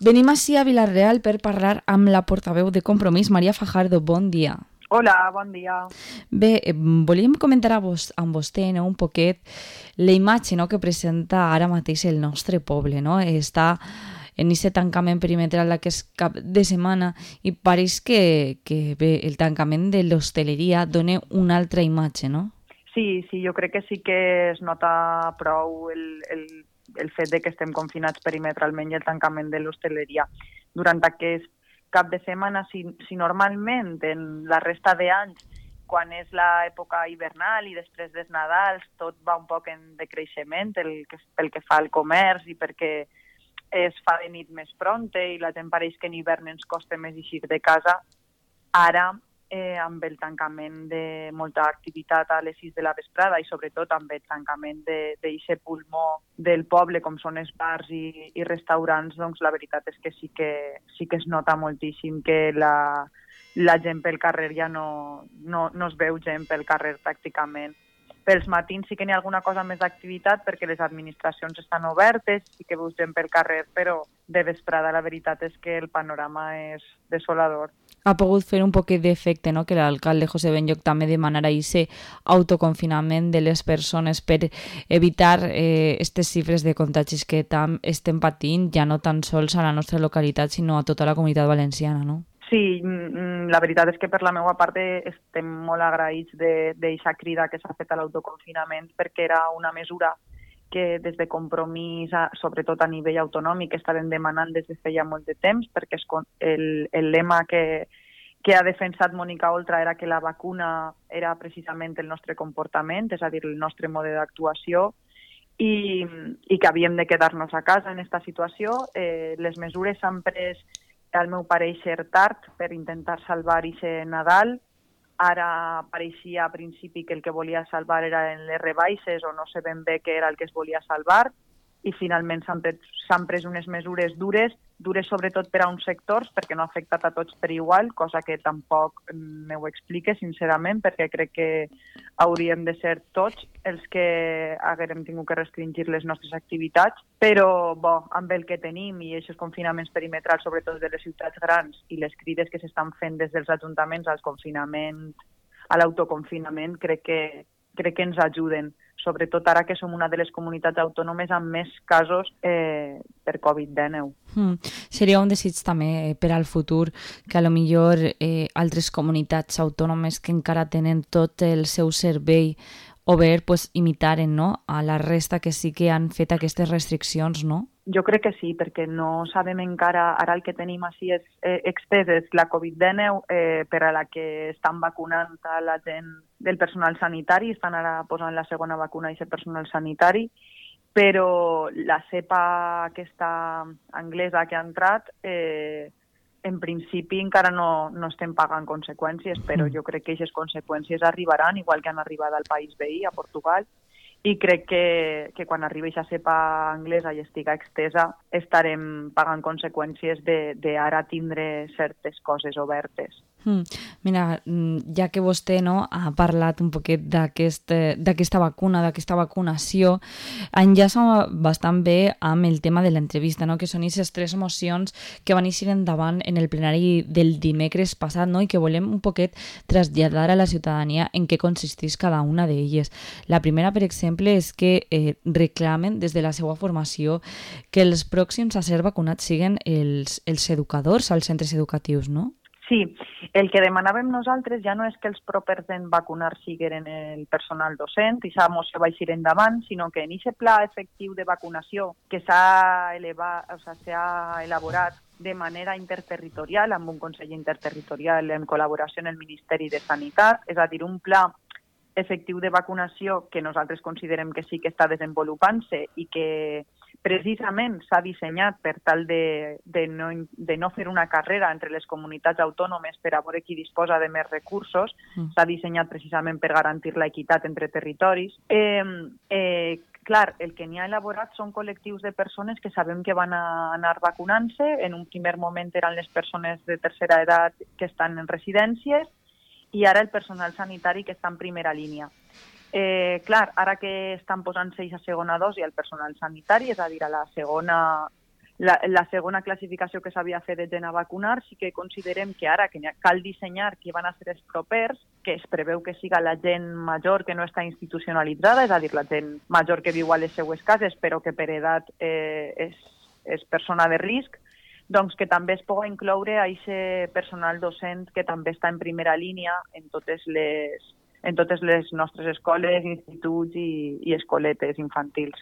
Venim ací a Vila-real per parlar amb la portaveu de Compromís, Maria Fajardo. Bon dia. Hola, bon dia. Bé, volíem comentar amb vostè un poquet la imatge que presenta ara mateix el nostre poble. Està en aquest tancament perimetral d'aquest cap de setmana i pareix que bé, el tancament de l'hostaleria dona una altra imatge, no? Sí, jo crec que sí que es nota prou el fet de que estem confinats perimetralment i el tancament de l'hostaleria. Durant aquest cap de setmana, si normalment en la resta d'anys, quan és l'època hivernal i després dels Nadals, tot va un poc en decreixement pel que fa al comerç i perquè es fa de nit més pronta i la gent pareix que en hivern ens costa més eixir de casa, ara amb el tancament de molta activitat a les 6 de la vesprada i sobretot amb el tancament d'aquest pulmó del poble com són els bars i restaurants, doncs la veritat és que sí que es nota moltíssim que la gent pel carrer ja no es veu gent pel carrer pràcticament. Pels matins sí que n'hi ha alguna cosa més d'activitat perquè les administracions estan obertes, sí que veus gent pel carrer, però de vesprada la veritat és que el panorama és desolador. Ha pogut fer un poquet d'efecte, no?, que l'alcalde José Benlloch també demanarà aquest autoconfinament de les persones per evitar aquestes xifres de contagis que estem patint, ja no tan sols a la nostra localitat, sinó a tota la comunitat valenciana, no? Sí, la veritat és que per la meva part estem molt agraïts d'aquesta crida que s'ha fet a l'autoconfinament perquè era una mesura que des de Compromís, sobretot a nivell autonòmic, estaven demanant des de feia molt de temps, perquè el lema que ha defensat Mònica Oltra era que la vacuna era precisament el nostre comportament, és a dir, el nostre mode d'actuació, i que havíem de quedar-nos a casa en aquesta situació. Les mesures s'han pres, al meu pareixer, tard per intentar salvar aquest Nadal. Ara pareixia a principi que el que volia salvar eren les rebaixes o no sé ben bé què era el que es volia salvar i finalment s'han pres unes mesures dures sobretot per a uns sectors perquè no ha afectat a tots per igual, cosa que tampoc me ho explique sincerament perquè crec que hauríem de ser tots els que haguérem tingut que restringir les nostres activitats, però amb el que tenim i aquests confinaments perimetrals sobretot de les ciutats grans i les crides que s'estan fent des dels ajuntaments al confinament, a l'autoconfinament, crec que ens ajuden, sobretot ara que som una de les comunitats autònomes amb més casos per Covid-19. Seria un desig també per al futur que a lo millor altres comunitats autònomes que encara tenen tot el seu servei obert imitaren, no?, a la resta que sí que han fet aquestes restriccions, no? Jo crec que sí, perquè no sabem encara, ara el que tenim així és expès és la Covid-19 per a la que estan vacunant a la gent del personal sanitari, estan ara posant la segona vacuna a aquest personal sanitari, però la cepa aquesta anglesa que ha entrat, en principi encara no estem pagant conseqüències, però jo crec que aquestes conseqüències arribaran, igual que han arribat al país veí, a Portugal, i crec que quan arribi aquesta cepa anglesa i estiga extesa estarem pagant conseqüències d'ara tindre certes coses obertes. Mira, ja que vostè ha parlat un poquet d'aquesta vacuna, d'aquesta vacunació, enllaça bastant bé amb el tema de l'entrevista, que són aquestes 3 mocions que van eixir endavant en el plenari del dimecres passat, i que volem un poquet traslladar a la ciutadania en què consisteix cada una d'elles. La primera, per exemple, és que reclamen des de la seva formació que els pròxims a ser vacunats siguin els educadors als centres educatius, no? Sí, el que demanàvem nosaltres ja no és que els propers en vacunar siguin el personal docent i aquesta moció va eixir endavant, sinó que en aquest pla efectiu de vacunació que s'ha elaborat de manera interterritorial, amb un Consell Interterritorial en col·laboració amb el Ministeri de Sanitat, és a dir, un pla efectiu de vacunació que nosaltres considerem que sí que està desenvolupant-se i que precisament s'ha dissenyat per tal de no fer una carrera entre les comunitats autònomes per a veure qui disposa de més recursos, s'ha dissenyat precisament per garantir l'equitat entre territoris. Clar, el que n'hi ha elaborat són col·lectius de persones que sabem que van anar vacunant-se. En un primer moment eren les persones de tercera edat que estan en residències i ara el personal sanitari que està en primera línia. Clar, ara que estan posant-se a segona dosi al personal sanitari, és a dir, a la segona La segona classificació que s'havia fet de gent a vacunar, sí que considerem que ara que cal dissenyar qui van a ser els propers, que es preveu que siga la gent major que no està institucionalitzada, és a dir, la gent major que viu a les seues cases però que per edat és persona de risc, doncs que també es pugui incloure a aquest personal docent que també està en primera línia en totes les nostres escoles, instituts i escoletes infantils.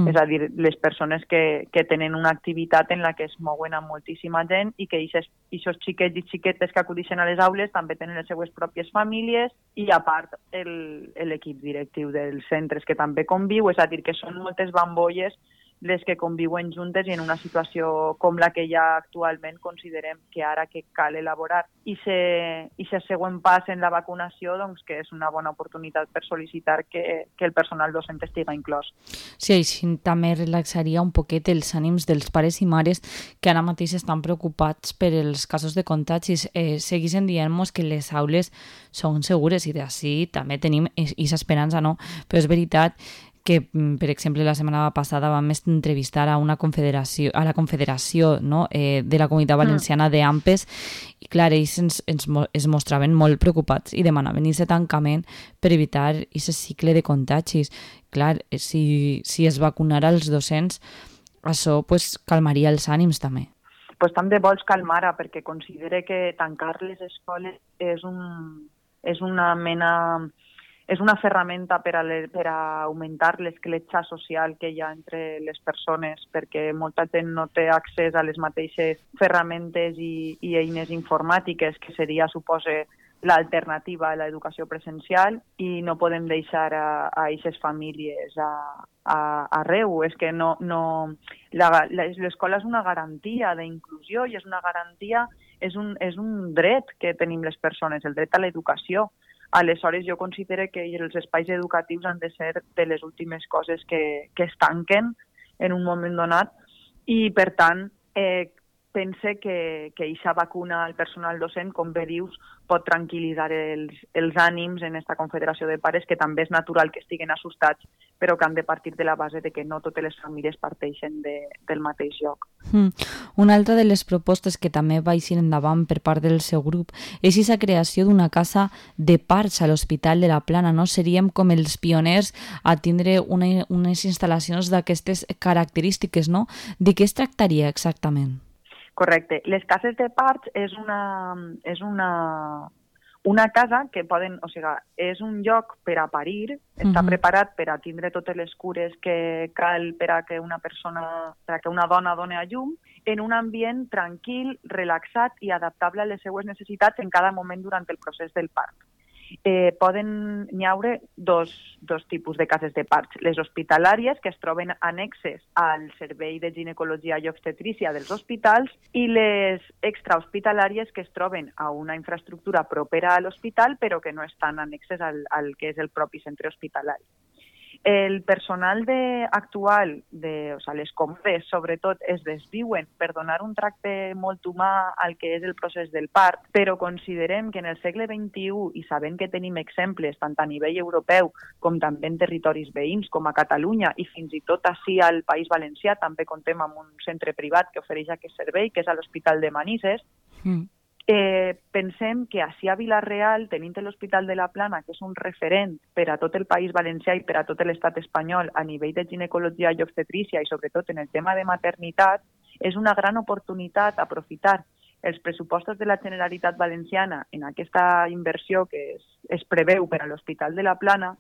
És a dir, les persones que tenen una activitat en la que es mouen amb moltíssima gent i que aquests xiquets i xiquetes que acudixen a les aules també tenen les seues pròpies famílies i, a part, l'equip directiu dels centres que també conviu. És a dir, que són moltes bambolles les que conviuen juntes i en una situació com la que hi ha actualment considerem que ara que cal elaborar i ser següent pas en la vacunació, doncs que és una bona oportunitat per sol·licitar que el personal docent estigui inclòs. Sí, així també relaxaria un poquet els ànims dels pares i mares que ara mateix estan preocupats per els casos de contagis. Seguissin dient-nos que les aules són segures i d'ací també tenim aquesta esperança, no? Però és veritat que, per exemple, la setmana passada vam entrevistar a la confederació, no? De la Comunitat Valenciana d'AMPES i, clar, ells es mostraven molt preocupats i demanaven aquest tancament per evitar aquest cicle de contagis. Clar, si es vacunara els docents, això calmaria els ànims també. Pues també vols calmar-la, perquè considere que tancar les escoles és una ferramenta per a augmentar l'escletxa social que hi ha entre les persones, perquè molta gent no té accés a les mateixes ferramentes i eines informàtiques que seria, supose, l'alternativa a l'educació presencial i no podem deixar a aquestes famílies arreu. És que l'escola és una garantia d'inclusió i és una garantia, és un dret que tenim les persones, el dret a l'educació. Aleshores, jo considero que els espais educatius han de ser de les últimes coses que es tanquen en un moment donat i, per tant, pense que aquesta vacuna al personal docent, com bé dius, pot tranquil·litzar els ànims en aquesta confederació de pares, que també és natural que estiguen assustats, però que han de partir de la base de que no totes les famílies parteixen del mateix lloc. Una altra de les propostes que també va eixir endavant per part del seu grup és la creació d'una casa de parts a l'Hospital de la Plana. No? Seríem com els pioners a tindre unes instal·lacions d'aquestes característiques, no? De què es tractaria exactament? Correcte. Les cases de parts és una casa que poden, o sigui, és un lloc per a parir, està preparat per a tindre totes les cures que cal per a que una dona doni a llum, en un ambient tranquil, relaxat i adaptable a les seues necessitats en cada moment durant el procés del part. N'hi haure dos tipus de cases de parts. Les hospitalàries, que es troben annexes al servei de ginecologia i obstetrícia dels hospitals, i les extrahospitalàries, que es troben a una infraestructura propera a l'hospital però que no estan annexes al que és el propi centre hospitalari. El personal actual, les comodes, sobretot, es desviuen per donar un tracte molt humà al que és el procés del part, però considerem que en el segle XXI, i sabent que tenim exemples tant a nivell europeu com també en territoris veïns, com a Catalunya, i fins i tot ací al País Valencià, també contem amb un centre privat que ofereix aquest servei, que és a l'Hospital de Manises, pensem que ací a Vila-real, tenint l'Hospital de la Plana, que és un referent per a tot el País Valencià i per a tot l'estat espanyol a nivell de ginecologia i obstetrícia i sobretot en el tema de maternitat, és una gran oportunitat aprofitar els pressupostos de la Generalitat Valenciana en aquesta inversió que es preveu per a l'Hospital de la Plana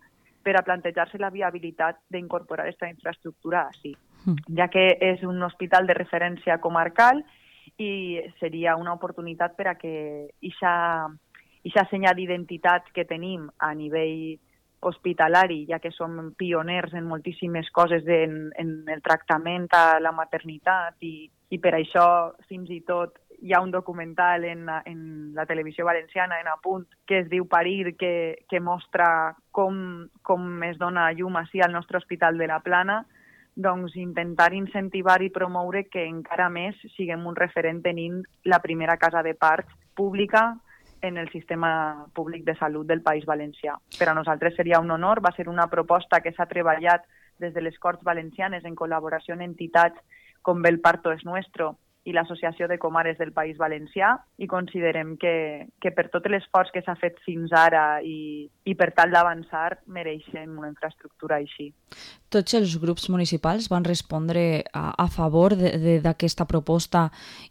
per a plantejar-se la viabilitat d'incorporar aquesta infraestructura ací, ja que és un hospital de referència comarcal i seria una oportunitat per a que aquesta senya d'identitat que tenim a nivell hospitalari, ja que som pioners en moltíssimes coses en el tractament a la maternitat i per això fins i tot hi ha un documental en la televisió valenciana, en Apunt, que es diu Parir, que mostra com es dona llum ací al nostre Hospital de la Plana, doncs intentar incentivar i promoure que encara més siguem un referent tenint la primera casa de parts pública en el sistema públic de salut del País Valencià. Per a nosaltres seria un honor, va ser una proposta que s'ha treballat des de les Corts Valencianes en col·laboració amb entitats com bé el Parto es Nuestro i l'Associació de Comares del País Valencià, i considerem que per tot l'esforç que s'ha fet fins ara i per tal d'avançar mereixen una infraestructura així. Tots els grups municipals van respondre a favor d'aquesta proposta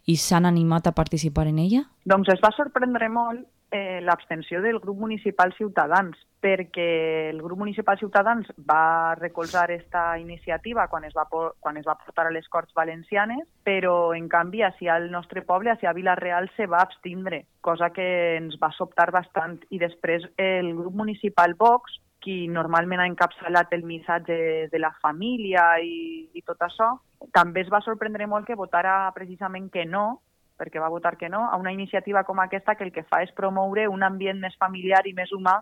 i s'han animat a participar en ella? Doncs es va sorprendre molt l'abstenció del grup municipal Ciutadans, perquè el grup municipal Ciutadans va recolzar aquesta iniciativa quan es va portar a les Corts Valencianes, però en canvi al nostre poble, a Vila-real, se va abstindre, cosa que ens va sobtar bastant. I després el grup municipal Vox, qui normalment ha encapçalat el missatge de la família i tot això, també es va sorprendre molt que votara precisament que no, perquè va votar que no, a una iniciativa com aquesta que el que fa és promoure un ambient més familiar i més humà,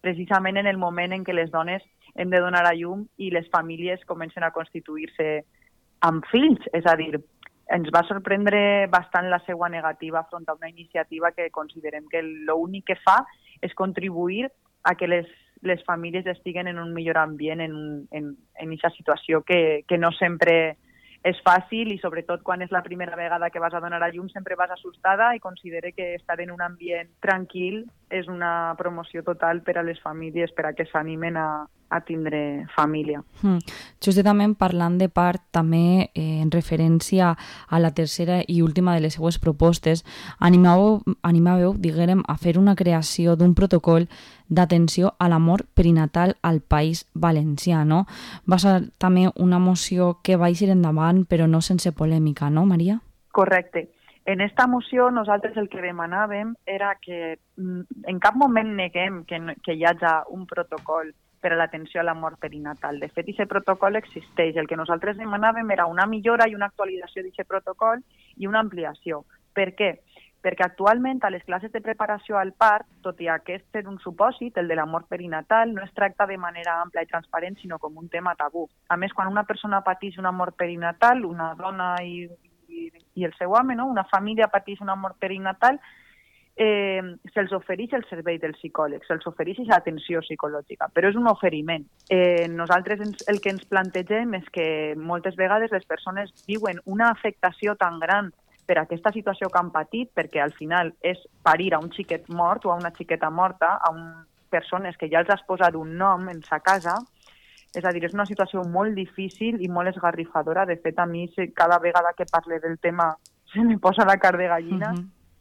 precisament en el moment en què les dones hem de donar a llum i les famílies comencen a constituir-se amb fills. És a dir, ens va sorprendre bastant la seva negativa front a una iniciativa que considerem que l'únic que fa és contribuir a que les famílies estiguen en un millor ambient en aquesta situació que no sempre és fàcil, i sobretot quan és la primera vegada que vas a donar a llum sempre vas assustada, i considere que estar en un ambient tranquil és una promoció total per a les famílies, per a que s'animen a tindre família. Justament parlant de part, també en referència a la tercera i última de les seues propostes, animàveu, diguérem, a fer una creació d'un protocol d'atenció a la mort perinatal al País Valencià, no? Va ser també una moció que va eixir endavant, però no sense polèmica, no, Maria? Correcte. En esta moció nosaltres el que demanàvem era que en cap moment neguem que hi hagi un protocol per a l'atenció a la mort perinatal. De fet, aquest protocol existeix. El que nosaltres demanàvem era una millora i una actualització d'aquest protocol i una ampliació. Per què? Perquè actualment a les classes de preparació al part, tot i aquest ser un supòsit, el de la mort perinatal, no es tracta de manera ampla i transparent, sinó com un tema tabú. A més, quan una persona pateix una mort perinatal, una dona i el seu home, no? Una família pateix una mort perinatal, se'ls ofereix el servei del psicòleg, se'ls ofereix l'atenció psicològica, però és un oferiment. Nosaltres el que ens plantegem és que moltes vegades les persones viuen una afectació tan gran per aquesta situació que han patit, perquè al final és parir a un xiquet mort o a una xiqueta morta, a persones que ja els has posat un nom en sa casa. És a dir, és una situació molt difícil i molt esgarrifadora. De fet, a mi cada vegada que parle del tema se me posa la carn de gallina,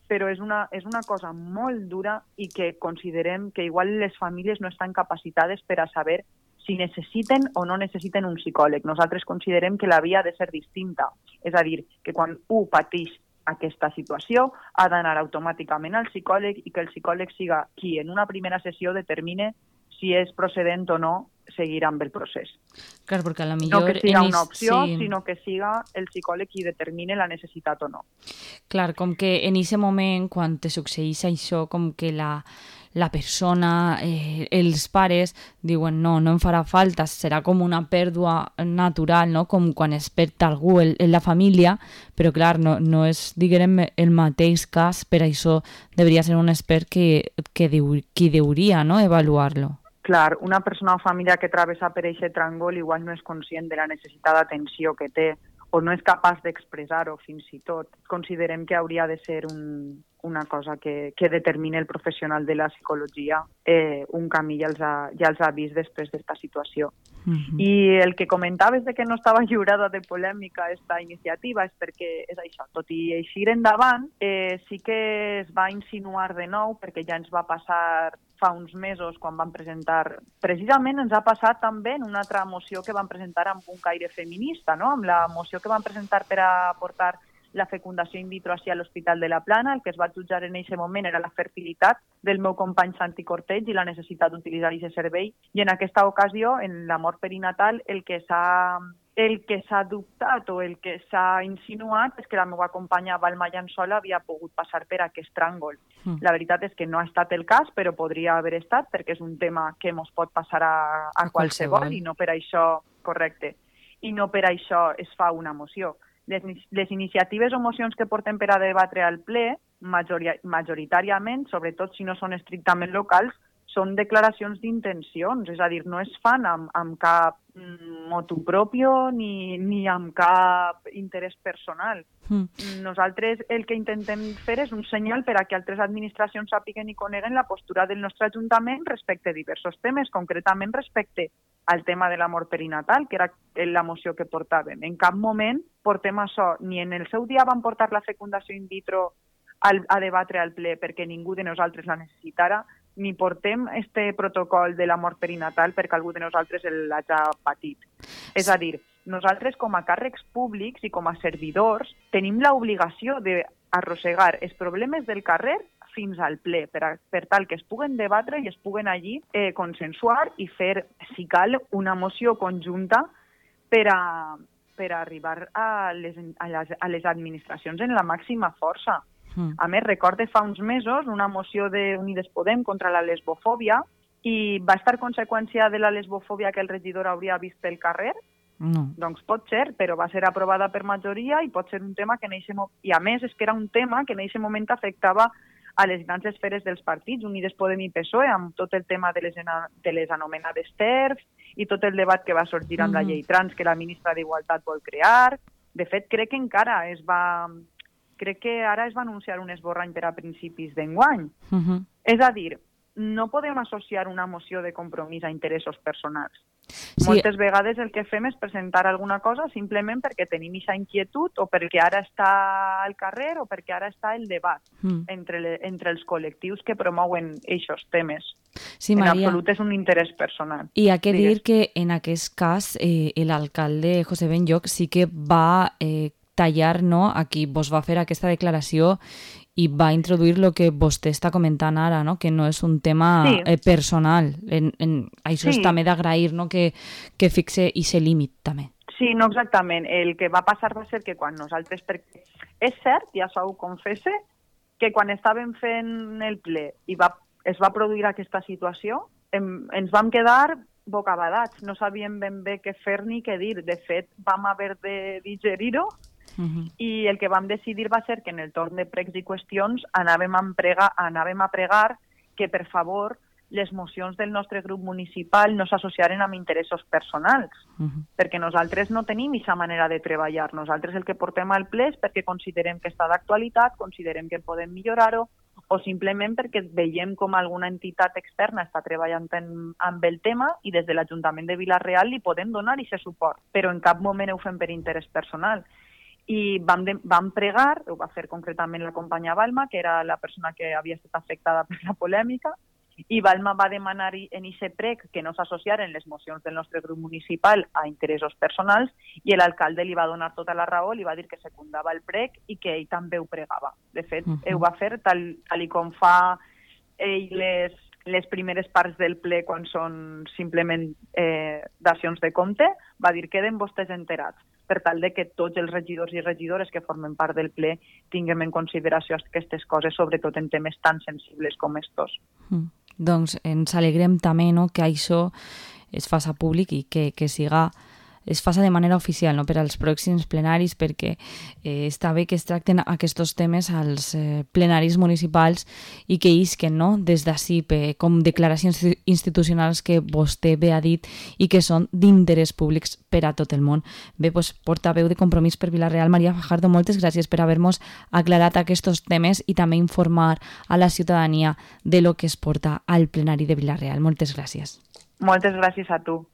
però és una cosa molt dura i que considerem que igual les famílies no estan capacitades per a saber si necessiten o no necessiten un psicòleg. Nosaltres considerem que la via ha de ser distinta. És a dir, que quan un pateix aquesta situació ha d'anar automàticament al psicòleg i que el psicòleg siga qui en una primera sessió determine si és procedent o no seguir amb el procés. Clar, perquè a la millor... No que siga una opció, sinó que siga el psicòleg qui determine la necessitat o no. Clar, com que en aquest moment, quan te succeeix això, com que la persona, els pares, diuen no em farà falta, serà com una pèrdua natural, no? Com quan es perd algú en la família, però clar, no és, diguem, el mateix cas, per això hauria ser un expert qui hauria, no?, avaluar-lo. Clar, una persona o família que travessa per aquest tràngol igual no és conscient de la necessitat d'atenció que té o no és capaç d'expressar-ho fins i tot. Considerem que hauria de ser una cosa que determini el professional de la psicologia. Un camí ja els ha vist després d'esta situació. I el que comentaves de que no estava lliurada de polèmica aquesta iniciativa és perquè és això. Tot i eixir endavant, sí que es va insinuar de nou, perquè ja ens va passar fa uns mesos quan van presentar... Precisament ens ha passat també en una altra moció que van presentar amb un caire feminista, no? Amb la moció que van presentar per a portar la fecundació in vitro a l'Hospital de la Plana. El que es va jutjar en aquest moment era la fertilitat del meu company Santi Corteig i la necessitat d'utilitzar aquest servei. I en aquesta ocasió, en la mort perinatal, el que s'ha dubtat o el que s'ha insinuat és que la meva companya Balma Llançola havia pogut passar per aquest tràngol. La veritat és que no ha estat el cas, però podria haver estat, perquè és un tema que ens pot passar a qualsevol i no per això, correcte, i no per això es fa una moció. Les iniciatives o mocions que portem per a debatre al ple, majoritàriament, sobretot si no són estrictament locals, són declaracions d'intencions, és a dir, no es fan amb cap motu propio ni amb cap interès personal. Nosaltres el que intentem fer és un senyal per a que altres administracions sàpiguen i coneguen la postura del nostre Ajuntament respecte a diversos temes, concretament respecte al tema de la mort perinatal, que era la moció que portàvem. En cap moment portem això, ni en el seu dia vam portar la fecundació in vitro a debatre al ple perquè ningú de nosaltres la necessitara, ni portem este protocol de la mort perinatal perquè algú de nosaltres l'hagi patit. És a dir, nosaltres com a càrrecs públics i com a servidors tenim l'obligació d'arrossegar els problemes del carrer fins al ple, per tal que es puguen debatre i es puguen allí consensuar i fer, si cal, una moció conjunta per arribar a les administracions en la màxima força. A més, recorde fa uns mesos una moció d'Unides Podem contra la lesbofòbia i va estar conseqüència de la lesbofòbia que el regidor hauria vist pel carrer? No. Doncs pot ser, però va ser aprovada per majoria i pot ser un tema que i a més és que era un tema que en aquest moment afectava a les grans esferes dels partits, Unides Podem i PSOE, amb tot el tema de les anomenades TERFs i tot el debat que va sorgir amb la llei trans que la ministra d'Igualtat vol crear. De fet, crec que ara es va anunciar un esborrany per a principis d'enguany. És a dir, no podem associar una moció de compromís a interessos personals. Sí. Moltes vegades el que fem és presentar alguna cosa simplement perquè tenim aquesta inquietud o perquè ara està al carrer o perquè ara està el debat entre els col·lectius que promouen aquests temes. Sí, en Maria. absolut és un interès personal. I ha que dir que en aquest cas l'alcalde José Benlloch sí que va tallar, no, a qui vos va fer aquesta declaració i va introduir el que vostè està comentant ara, no? Que no és un tema personal. Això és també d'agrair, no? que fixe aquest límit també. Sí, no exactament. El que va passar va ser que quan nosaltres... És cert, ja s'ho confesse, que quan estàvem fent el ple i es va produir aquesta situació, ens vam quedar bocabadats. No sabíem ben bé què fer ni què dir. De fet, vam haver de digerir-ho i el que vam decidir va ser que en el torn de pregs i qüestions anàvem a pregar que, per favor, les mocions del nostre grup municipal no s'associaren amb interessos personals, perquè nosaltres no tenim aquesta manera de treballar. Nosaltres el que portem al ple és perquè considerem que està d'actualitat, considerem que podem millorar-ho, o simplement perquè veiem com alguna entitat externa està treballant amb el tema i des de l'Ajuntament de Vila-real li podem donar aquest suport, però en cap moment ho fem per interès personal. I vam pregar, ho va fer concretament la companya Balma, que era la persona que havia estat afectada per la polèmica, i Balma va demanar en aquest prec que no s'associaren les mocions del nostre grup municipal a interessos personals i l'alcalde li va donar tota la raó, li va dir que secundava el prec i que ell també ho pregava. De fet, ho va fer tal com fa ell les primeres parts del ple quan són simplement dacions de compte, va dir queden vostès enterats, per tal de que tots els regidors i regidores que formen part del ple tinguem en consideració aquestes coses, sobretot en temes tan sensibles com estos. Doncs ens alegrem també, no, que això es faça públic i que es faça de manera oficial, no, per als pròxims plenaris, perquè està bé que es tracten aquests temes als plenaris municipals i que isquen, no, des d'ací com declaracions institucionals que vostè bé ha dit i que són d'interès públics per a tot el món. Bé, doncs, portaveu de Compromís per Vila-real, Maria Fajardo, moltes gràcies per haver-nos aclarat aquests temes i també informar a la ciutadania de lo que es porta al plenari de Vila-real. Moltes gràcies. Moltes gràcies a tu.